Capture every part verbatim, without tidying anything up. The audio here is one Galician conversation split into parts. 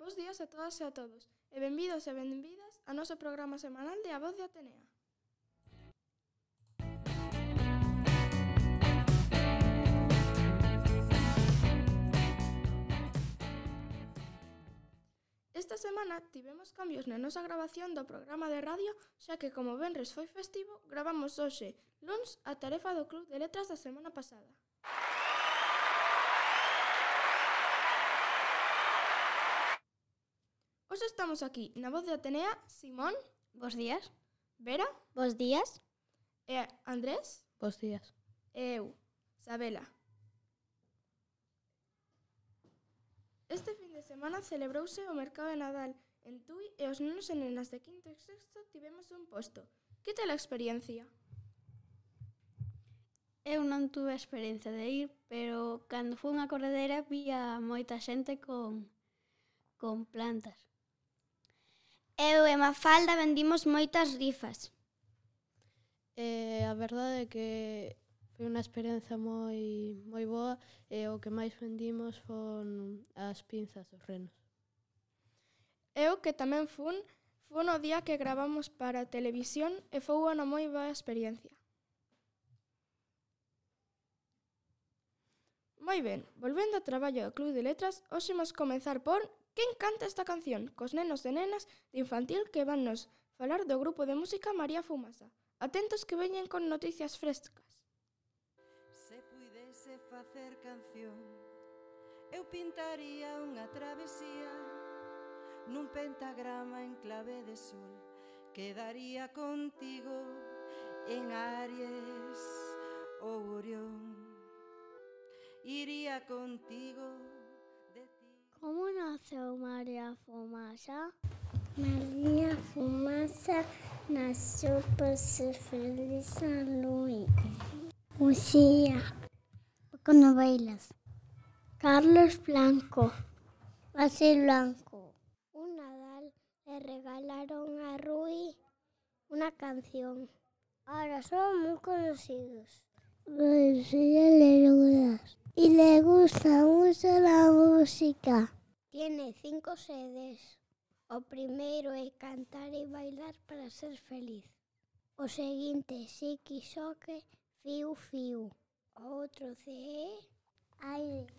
Bos días a todas e a todos, e benvidos e benvidas ao noso programa semanal de A Voz de Atenea. Esta semana tivemos cambios na nosa grabación do programa de radio, xa que como venres foi festivo, gravamos hoxe, luns, a tarefa do Club de Letras da semana pasada. Hoxe estamos aquí, na Voz de Atenea, Simón. Bos días. Vera. Bos días. E Andrés. Bos días. E eu, Sabela. Este fin de semana celebrouse o mercado de Nadal en Tui e os nenos e nenas de quinto e sexto tivemos un posto. Que tal a experiencia? Eu non tuve a experiencia de ir, pero cando fui unha corredera vi a moita xente con, con plantas. Eu e Mafalda vendimos moitas rifas. E a verdade é que foi unha experiencia moi moi boa e o que máis vendimos foron as pinzas dos renos. Eu que tamén fun, fun o día que gravamos para a televisión e foi unha moi boa experiencia. Moi ben, volvendo ao traballo do Club de Letras, hoxe imos comezar por Quen canta esta canción? Cos nenos e nenas de infantil que van nos falar do grupo de música María Fumasa. Atentos que veñen con noticias frescas. Se puidese facer canción, eu pintaría unha travesía nun pentagrama en clave de sol. Quedaría contigo en Aries ou Orión. Iría contigo de ti. Como naceu María Fumasa? María Fumasa nasceu para ser feliz a Luís. Lucía. Con novelas. Carlos Blanco. Basil Blanco. Un Nadal le regalaron a Rui una canción. Ahora son muy conocidos. Lucía Lerudas. Y le gusta mucho la música. Tiene cinco C Ds. O primeiro é cantar e bailar para ser feliz. O seguinte, Xiqui Xoque, Fiu Fiu. O outro C é Aire.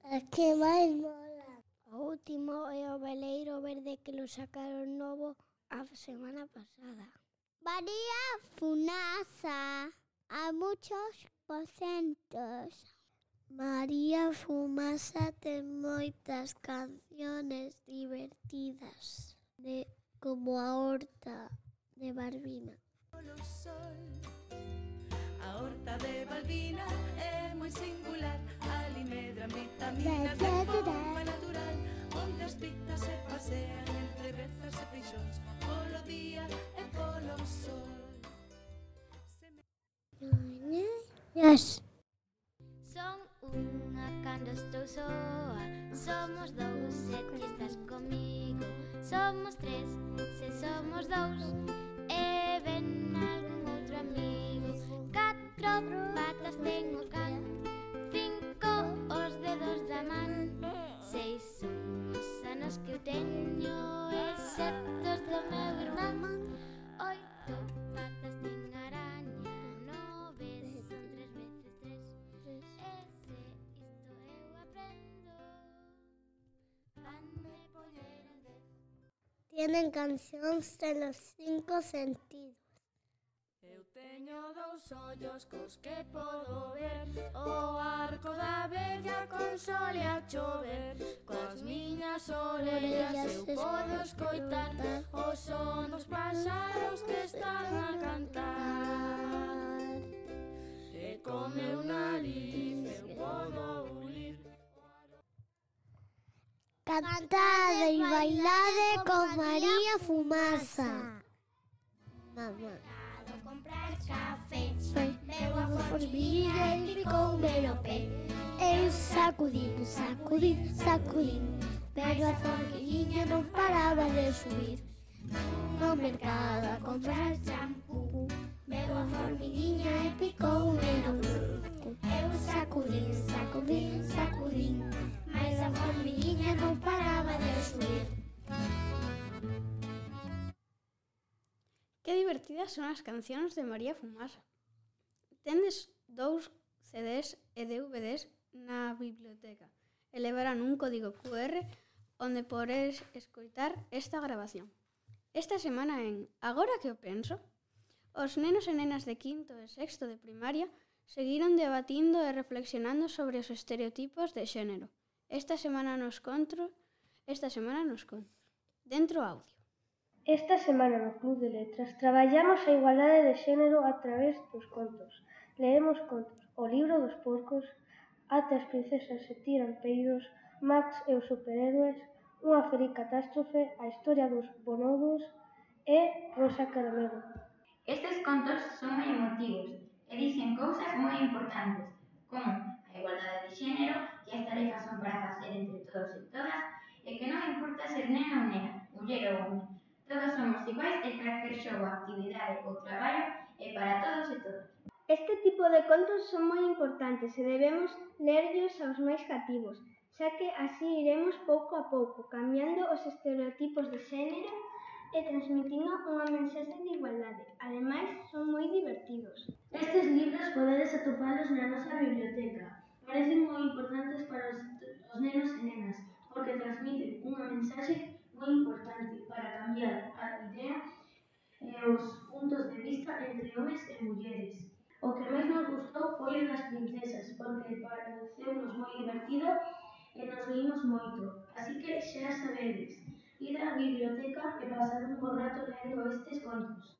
A que máis mola. O último é o veleiro verde que lo sacaron novo a semana pasada. María Fumasa a muchos porcentos. María Fumasa ten moitas canciones divertidas, de, como a Horta de Balbina. A Horta de Balbina é moi singular, ali medran vitaminas de forma natural, onde as pitas se pasean entre bezas e feixóns, polo día e polo sol. Yes. Son unha cando estou soa, somos dous se ti estás comigo. Somos tres se somos dous e ven algún outro amigo. Catro patas ten o can, cinco os dedos da man, seis son os anos que eu teño e sete os do meu irmán. Oito patas ten a araña, nove son tres veces tres. Ese isto eu aprendo. Vanme poñer en dez. Tienen cancións de los cinco sentidos. Eu teño dous ollos cos que podo ver o arco da vella con sol e a chover. Coas miñas orellas eu podo escoitar o son dos paxaros que están a cantar. E con meu nariz eu podo ulir. Cantade e bailade con María Fumasa. Mamá. Comprar café, Veu a formiguilla e picoume no pé. Eu sacudín, sacudín, sacudín, pero a formiguilla non paraba de subir. No mercado a comprar champú, veu a formiguilla e picoume no buco. Eu sacudín, sacudín, sacudín, mas a formiguilla non paraba de subir. divertidas son as cancións de María Fumasa. Tendes dous C Ds e D V Ds na biblioteca e levarán un código Q R onde podes escoitar esta grabación. Esta semana en Agora que o penso, os nenos e nenas de quinto e sexto de primaria seguiron debatindo e reflexionando sobre os estereotipos de xénero. Esta semana nos contos, esta semana nos contos. Dentro audio. Esta semana no Club de Letras traballamos a igualdade de xénero a través dos contos. Leemos contos O libro dos porcos, Até as princesas se tiran peidos, Max e os superhéroes, Unha feliz catástrofe, A historia dos bonobos e Rosa Caramelo. Estes contos son moi emotivos e dicen cousas moi importantes, como a igualdade de xénero, que as tarefas son para facer entre todos e todas, e que non importa ser nena ou nena, muller ou home. Todos somos iguais e calquer xogo, actividade ou traballo é para todos e todas. Este tipo de contos son moi importantes e debemos lerllos aos máis cativos, xa que así iremos pouco a pouco cambiando os estereotipos de xénero e transmitindo unha mensaxe de igualdade. Ademais, son moi divertidos. Estes libros podedes atopalos na nosa biblioteca. Parecen moi importantes para os, os nenos e nenas, porque transmiten unha mensaxe moi importante para cambiar a idea e os puntos de vista entre homes e mulleres. O que máis nos gustou foi o das princesas, porque pareceunos moi divertido e nos reímos moito. Así que xa sabedes, ir á biblioteca e pasar un bo rato lendo estes contos.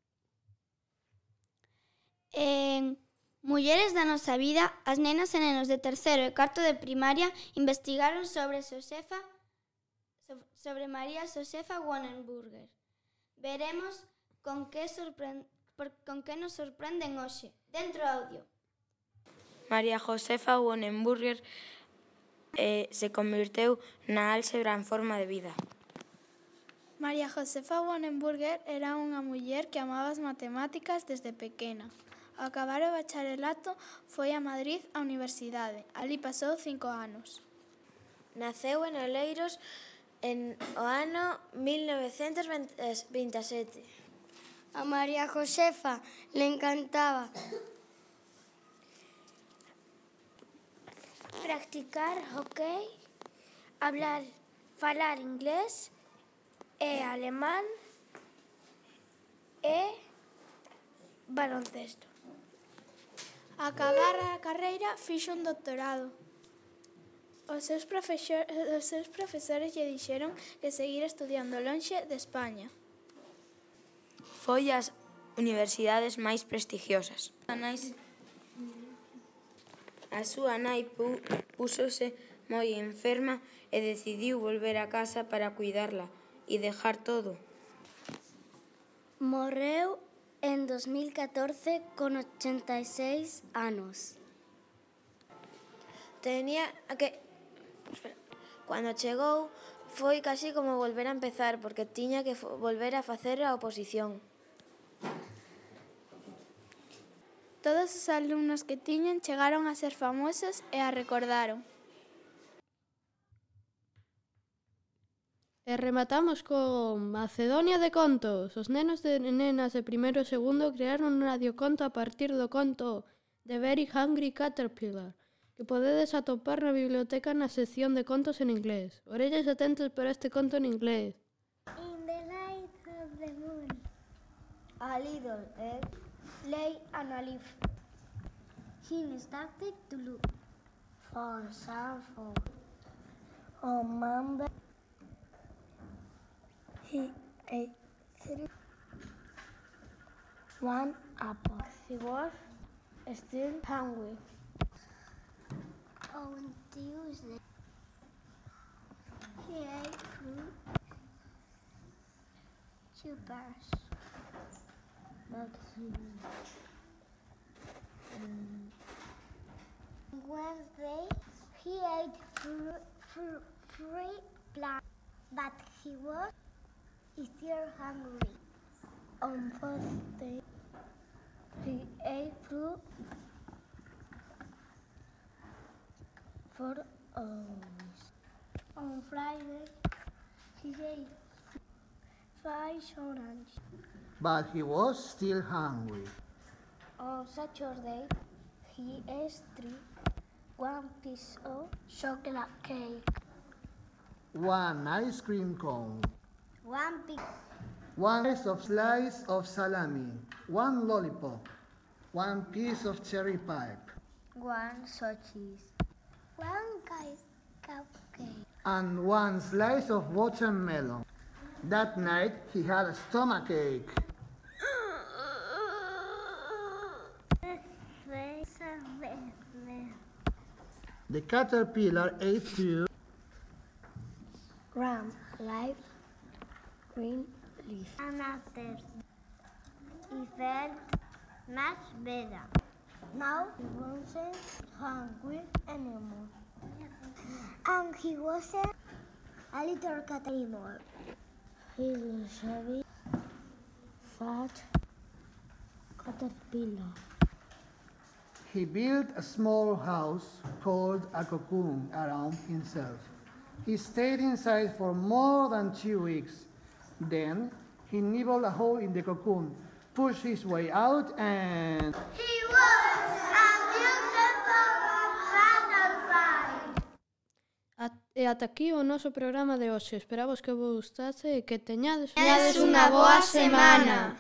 En Mulleres da nosa vida, as nenas e nenos de terceiro e cuarto de primaria investigaron sobre Xosefa, sobre María Xosefa Wonenburger. Veremos con que, sorpre... con que nos sorprenden hoxe. Dentro audio. María Josefa Wonenburger eh, se convirteu na álxebra en forma de vida. María Josefa Wonenburger era unha muller que amaba as matemáticas desde pequena. Ao acabar o bacharelato foi a Madrid á universidade. Alí pasou cinco anos. Naceu en Oleiros en o ano mil novecentos vinte e sete. A María Josefa le encantaba practicar hockey, hablar, falar inglés e alemán e baloncesto. A acabar a carreira fixo un doctorado. Os seus, profesor, os seus profesores lle dixeron que seguir estudiando lonxe de España. Foi ás universidades máis prestigiosas. A, nais, a súa nai pu, púsose moi enferma e decidiu volver a casa para cuidarla e dejar todo. Morreu en dos mil catorce con ochenta e seis anos. Tenía que... Espera. Cando chegou foi casi como volver a empezar, porque tiña que volver a facer a oposición. Todos os alumnos que tiñan chegaron a ser famosos e a recordaron. E rematamos con Macedonia de contos. Os nenos e nenas de primeiro e segundo crearon un radioconto a partir do conto The Very Hungry Caterpillar, que podedes atopar na biblioteca na sección de contos en inglés. Orellas atentos para este conto en inglés. In the light of the moon, a little egg lay on a leaf. He started to look for some food. On Monday, he ate three, one apple. He was still hungry. On Tuesday, he ate fruit, two pears. But he, um, Wednesday, he ate fr fr three plants, but he was still hungry. On Thursday, he ate fruit for hours. On Friday, he ate face orange. But he was still hungry. On Saturday, he ate one piece of chocolate cake, one ice cream cone, one piece, one slice of slice of salami, one lollipop, one piece of cherry pie, one sausage, one cupcake, and one slice of watermelon. That night he had a stomachache. The caterpillar ate two grams live green leaf. And after he felt much better. Now he wasn't hungry anymore. And he wasn't a little cat anymore. He was a heavy, fat caterpillar. He built a small house called a cocoon around himself. He stayed inside for more than two weeks. Then he nibbled a hole in the cocoon, pushed his way out, and... He was a beautiful butterfly! E ata aquí o noso programa de hoxe. Esperamos que vos gustase e que teñades unha boa semana.